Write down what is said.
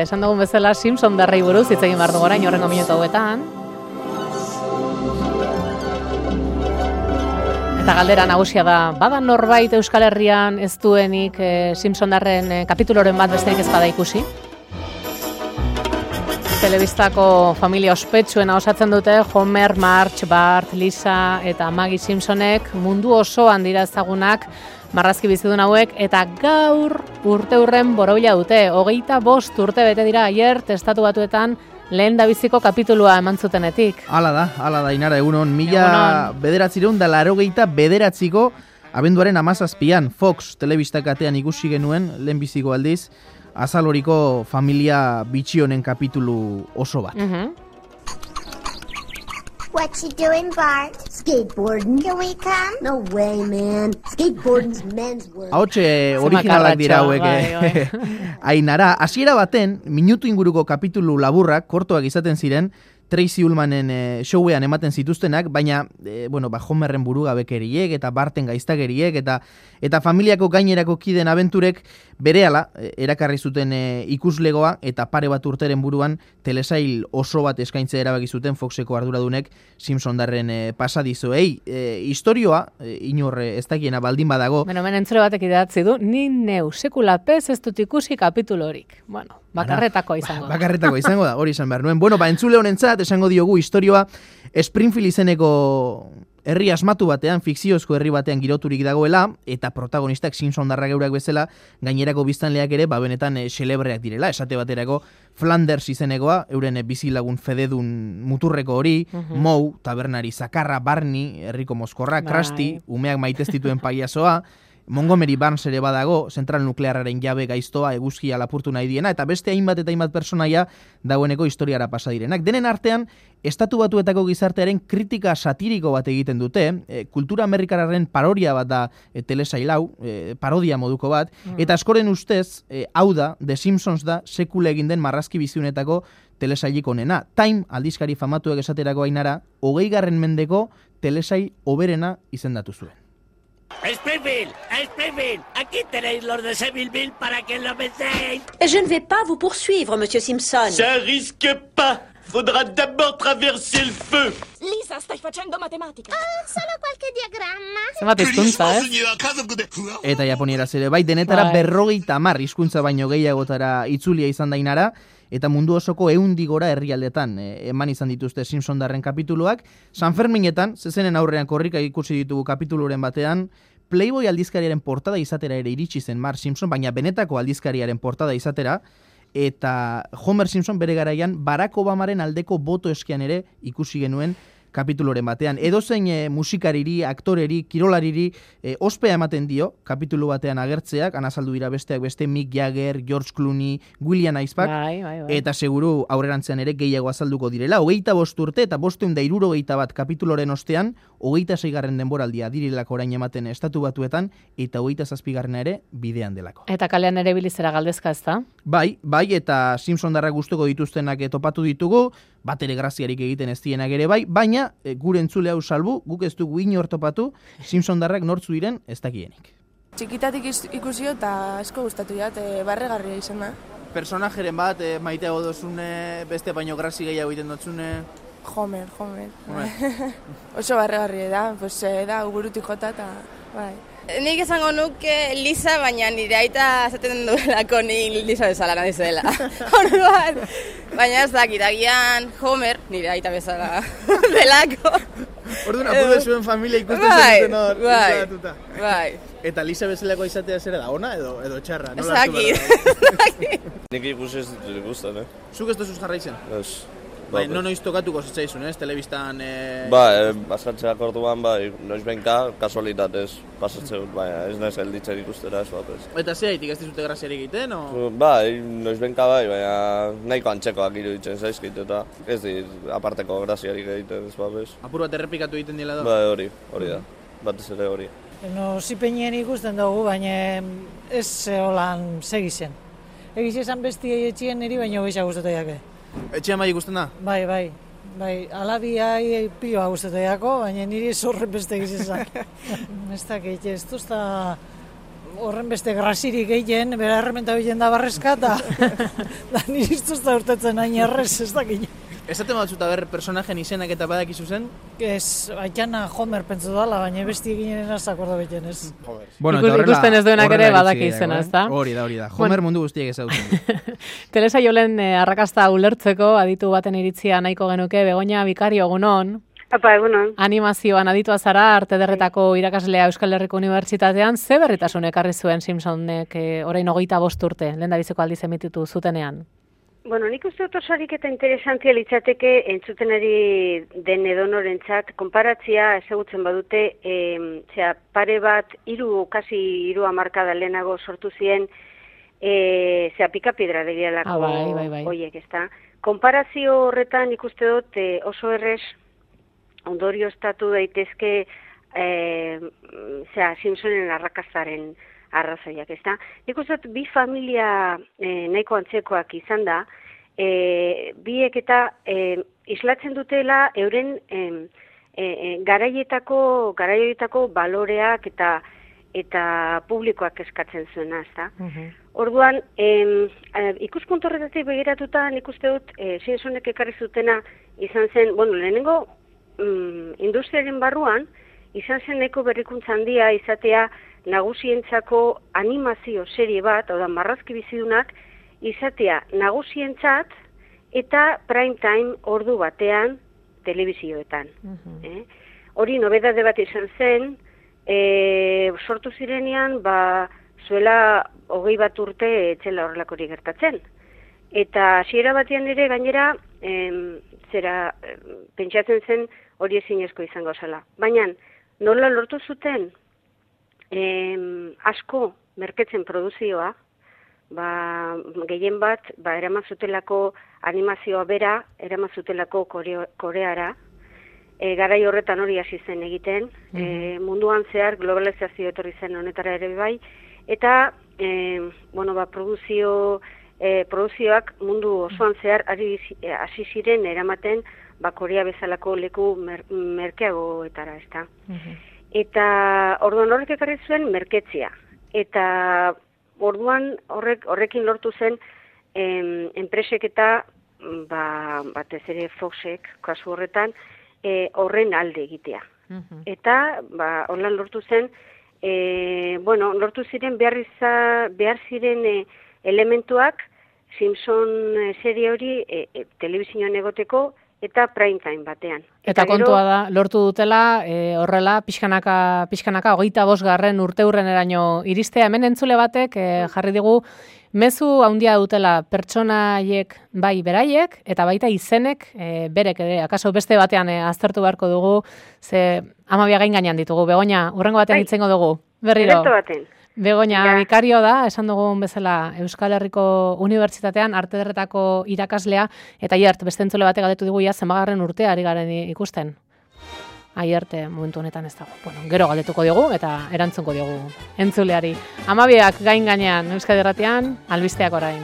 Esan dugun bezala Simpson darrei buruz hitz egin behar dugu orain horrengo minutu hauetan. Eta galdera nagusia da, bada norbait Euskal Herrian ez duenik Simpson darren kapituloren bat besterik ez bada ikusi? Telebistako familia ospetsuena osatzen dute Homer, Marge, Bart, Lisa eta Maggie Simpsonek mundu osoan dira ezagunak marrazki bizidun hauek, eta gaur urteurren borobila dute. 25 urte bete dira aier Estatu Batuetan lehen dabiziko kapitulua eman zutenetik. Hala da, Inara, egunon, 1989ko abenduaren 17an Fox telebista katean ikusi genuen lehenbiziko aldiz, azaloriko familia bitxi honen kapitulu oso bat. What you doing, Bart? Skateboarding. Can we come? No way, man. Skateboarding's men's work. Ahotxe originalak dira hauek. Ainara, hasiera baten, minutu inguruko kapitulu laburrak, kortoak izaten ziren, Tracy Ullmanen showean ematen zituztenak, baina Homerren burugabekeriek eta Barten gaiztakeriek eta familiako gainerako kideen abenturek berehala erakarri zuten ikuslegoa, eta pare bat urteren buruan telesail oso bat eskaintzea erabaki zuten Foxeko arduradunek Simpson darren pasadizoei. Historioa inor ez dakiena baldin badago. Entzule batek idatzi du, ni neu sekula pez ez dut ikusi kapitulorik. Bakarretakoa izango da. Bakarretakoa izango da, hori izan behar nuen. Entzule honentzat esango diogu historioa Springfield izeneko herri asmatu batean, fikziozko herri batean giroturik dagoela, eta protagonistak Simpson darrak eurak bezala, gainerako biztanleak ere, benetan xelebreak direla. Esate baterako Flanders izenekoa, euren bizilagun fededun muturreko hori, Moe, tabernari zakarra, Barney, herriko mozkorra, Krusty, umeak maitestituen paiazoa, Montgomery Barnes ere badago, zentral nuklearraren jabe gaiztoa, eguzkia lapurtu nahi diena, eta beste hainbat eta hainbat personaia dagoeneko historiara pasa direnak. Denen artean, Estatu Batuetako gizartearen kritika satiriko bat egiten dute, kultura amerikararen parodia bat da telesail hau, parodia moduko bat, eta askoren ustez, hau da, The Simpsons da, sekula egin den marrazki biziunetako telesailik onena. Time aldizkari famatuek esaterako Ainara, 20. mendeko telesail oberena izendatu zuen. Springfield, aquí tenéis los de Sevilleville para que lo vencéis. Je ne vais pas vous poursuivre, Monsieur Simpson. Ça risque pas. Faudra d'abord traverser el feu. Lisa, stai facendo matematica. Solo qualche diagramma. Zenbat hizkuntza, Eta japonieraz ere, bai, denetara 50 hizkuntza baino gehiagotara itzulia izan da Ainara, eta mundu osoko 100 gora herrialdetan eman izan dituzte Simpson darren kapituluak. San Ferminetan, zezenen aurrean korrika ikusi ditugu kapituluren batean, Playboy aldizkariaren portada izatera ere iritsi zen Marge Simpson, baina benetako aldizkariaren portada izatera, eta Homer Simpson bere garaian Barack Obamaren aldeko boto eskian ere ikusi genuen kapituloren batean. Edozein musikariri, aktoreri, kirolariri ospea ematen dio kapitulu batean agertzeak, anazaldu dira besteak beste Mick Jagger, George Clooney, William Eisbach, eta seguru aurrerantzean ere gehiago azalduko direla. 25 urte eta 571 kapituloren ostean, 26. denboraldia direlako orain ematen Estatu Batuetan, eta 27. ere bidean delako. Eta kalean ere bilizera galdezka, ez da? Bai, eta Simpson darrak gustuko dituztenak topatu ditugu, bat ere graziarik egiten ez dienak ere bai, baina gure entzule hau salbu, guk ez dugu inor topatu, Simpson darrak nortzu diren ez dakienik. Txikitatik ikusio eta asko gustatu jat, barregarria izan da. Personajeren bat, maiteago dozune, beste baino grazi gehiago egiten dotzune? Homer. Oso barregarria da, da burutik jota eta bai. Nik esango nuke Lisa, baina nire aita zaten duelako ni Lisa bezala nahi zela. Orduan, baina ez dakit, agian Homer, nire aita bezala delako. Orduan, apurre zuen familia ikusten zenuten hor. Bai. Eta Lisa bezalako izatea zera da, ona edo txarra? Ez dakit. Nik ikusi ez dut ikusten, Zuk ez duzuz jarra izan? Ez. Noiz tokatuko zitzaizun, telebistan... Baskatzeak orduan, noiz benka, kasualitatez pasatzen, ez nahez elditzen ikustera, ez bat ez. Eta zeitik ez dizute graziarik egiten, o? Noiz benka baina nahiko antxekoak iruditzen zaizkit, eta ez dit aparteko graziarik egiten, ez bat ez. Apur bat errepikatu egiten dela da? Hori da, batez ere hori. Zipenien ikusten dugu, baina ez holan segizen. Egiz esan bestiei etxien niri, baina gehiago gustatu jake. Etxean bai ikusten da? Bai. Alabiai pioa gustatu jako, baina niri zorren beste egizizak. Ez dakit, ez duzta horren beste grasirik gehien, bera errementa bilen da barrezka, eta da niristuz da urtetzen hain errez, ez dakit. Esaten batzuta personajen izenak eta badakizu zen? Ez, haitxana Homer pentsu dala, baina besti eginen azak orda beten ez. Bueno, ikusten ez duenak ere badaki izena, ez da? Hori da. Homer mundu guztiek ezagutzen. Telesaiolen arrakasta ulertzeko aditu baten iritzia nahiko genuke, Begoña Bikario, egunon. Apa, egunon. Animazioan aditua zara, arte derretako irakaslea Euskal Herriko Unibertsitatean, ze berritasun ekarri zuen Simpsonek orain 25 urte, lehendabiziko aldiz emititu zutenean? Bueno, nik uste dut osarik eta interesantia litzateke entzutenari den edonorentzat, konparatzia ezagutzen badute, pare bat, kasi 3 hamarkada lehenago sortu ziren, Pikapiedra derialako hoiek, ezta? Konparazio horretan ikuste dut oso errez ondorio estatu daitezke Simpsonen arrakastaren arrazoiak, ezta? Nik uste dut bi familia nahiko antzekoak izan da, biek eta islatzen dutela euren garaietako baloreak eta publikoak eskatzen zuena, ezta? Orduan, ikuspuntu horretatik begiratuta nik uste dut Simpsonek ekarri zutena izan zen, bueno, lehenengo industriaren barruan, izan zen nahiko berrikuntza handia izatea nagusientzako animazio serie bat, oda marrazki bizidunak, izatea nagusientzat eta prime time ordu batean telebizioetan. Hori nobedade bat izan zen, sortu zirenean, zuela 21 urte etxela horrelakori gertatzen. Eta hasiera batean ere gainera, pentsatzen zen hori ezinezko izango zela. Baina, nola lortu zuten asko merketzen produzioa, gehien bat, eraman zutelako animazioa bera, eraman zutelako Koreara, garai horretan hori hasi zen egiten, munduan zehar globalizazio etorri zen honetara ere bai, eta produzioak mundu osoan zehar hasi ziren eramaten Korea bezalako leku merkeagoetara, ezta. Eta orduan horrek ekarri zuen merketzia. Eta orduan horrekin lortu zen enpresek eta batez ere Foxek kasu horretan horren alde egitea. Eta horren lortu zen, lortu ziren behar ziren elementuak Simpson serie hori telebizioan egoteko eta prime time batean. Eta kontua da, lortu dutela, horrela, pixkanaka 25. urteurreneraino iristea. Hemen entzule batek jarri digu, mezu handia dutela pertsonaiek bai beraiek, eta baita izenek berek ere, akaso beste batean aztertu beharko dugu, ze 12 gain gainean ditugu. Begoña, urrengo batean hitzengo dugu. Berriro. Begoña Bikario da, esan dugun bezala Euskal Herriko Unibertsitatean arte derretako irakaslea, eta Aiert, beste entzule batek galdetu digu zenbagarren urtea ari garen ikusten. Aiert, momentu honetan ez dago. Bueno, gero galdetuko diogu eta erantzunko diogu entzuleari. 12 gain gainean Euskal Herratian, albisteak orain.